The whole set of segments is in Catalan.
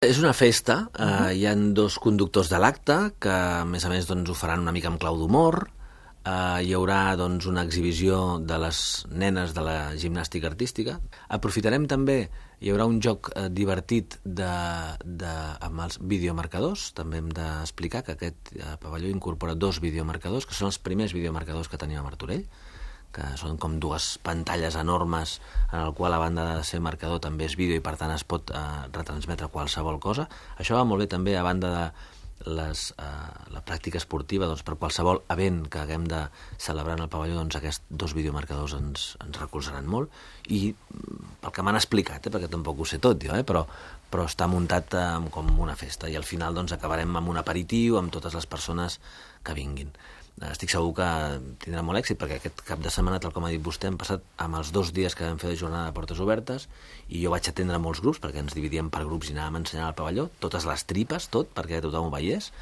És una festa, hi ha dos conductors de l'acte que a més ho faran una mica amb clau d'humor. Hi haurà una exhibició de les nenes de la gimnàstica artística. Aprofitarem també, hi haurà un joc divertit amb els videomarcadors. També hem d'explicar que aquest pavelló incorpora 2 videomarcadors, que són els primers videomarcadors que tenim a Martorell, que són com 2 pantalles enormes en el qual a banda de ser marcador també és vídeo i per tant es pot retransmetre qualsevol cosa. Això va molt bé també a banda de la pràctica esportiva, per qualsevol event que haguem de celebrar en el pavelló, aquests 2 videomarcadors ens recolzaran molt. I pel que m'han explicat, perquè tampoc ho sé tot jo, però està muntat com una festa i al final acabarem amb un aperitiu amb totes les persones que vinguin. Estic segur que tindrà molt èxit perquè aquest cap de setmana, tal com ha dit vostè, hem passat amb els 2 dies que vam fer de jornada de portes obertes i jo vaig atendre molts grups perquè ens dividíem per grups i anàvem ensenyant al pavelló, totes les tripes, tot, perquè tothom ho veiés,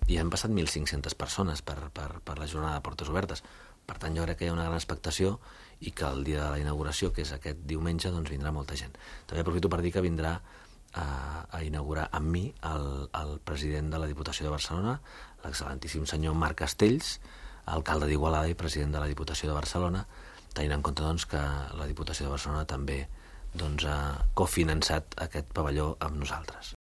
i han passat 1.500 persones per la jornada de portes obertes. Per tant, jo crec que hi ha una gran expectació i que el dia de la inauguració, que és aquest diumenge, vindrà molta gent. També aprofito per dir que vindrà a inaugurar amb mi el president de la Diputació de Barcelona, l'excel·lentíssim senyor Marc Castells, alcalde d'Igualada i president de la Diputació de Barcelona, tenint en compte que la Diputació de Barcelona també ha cofinançat aquest pavelló amb nosaltres.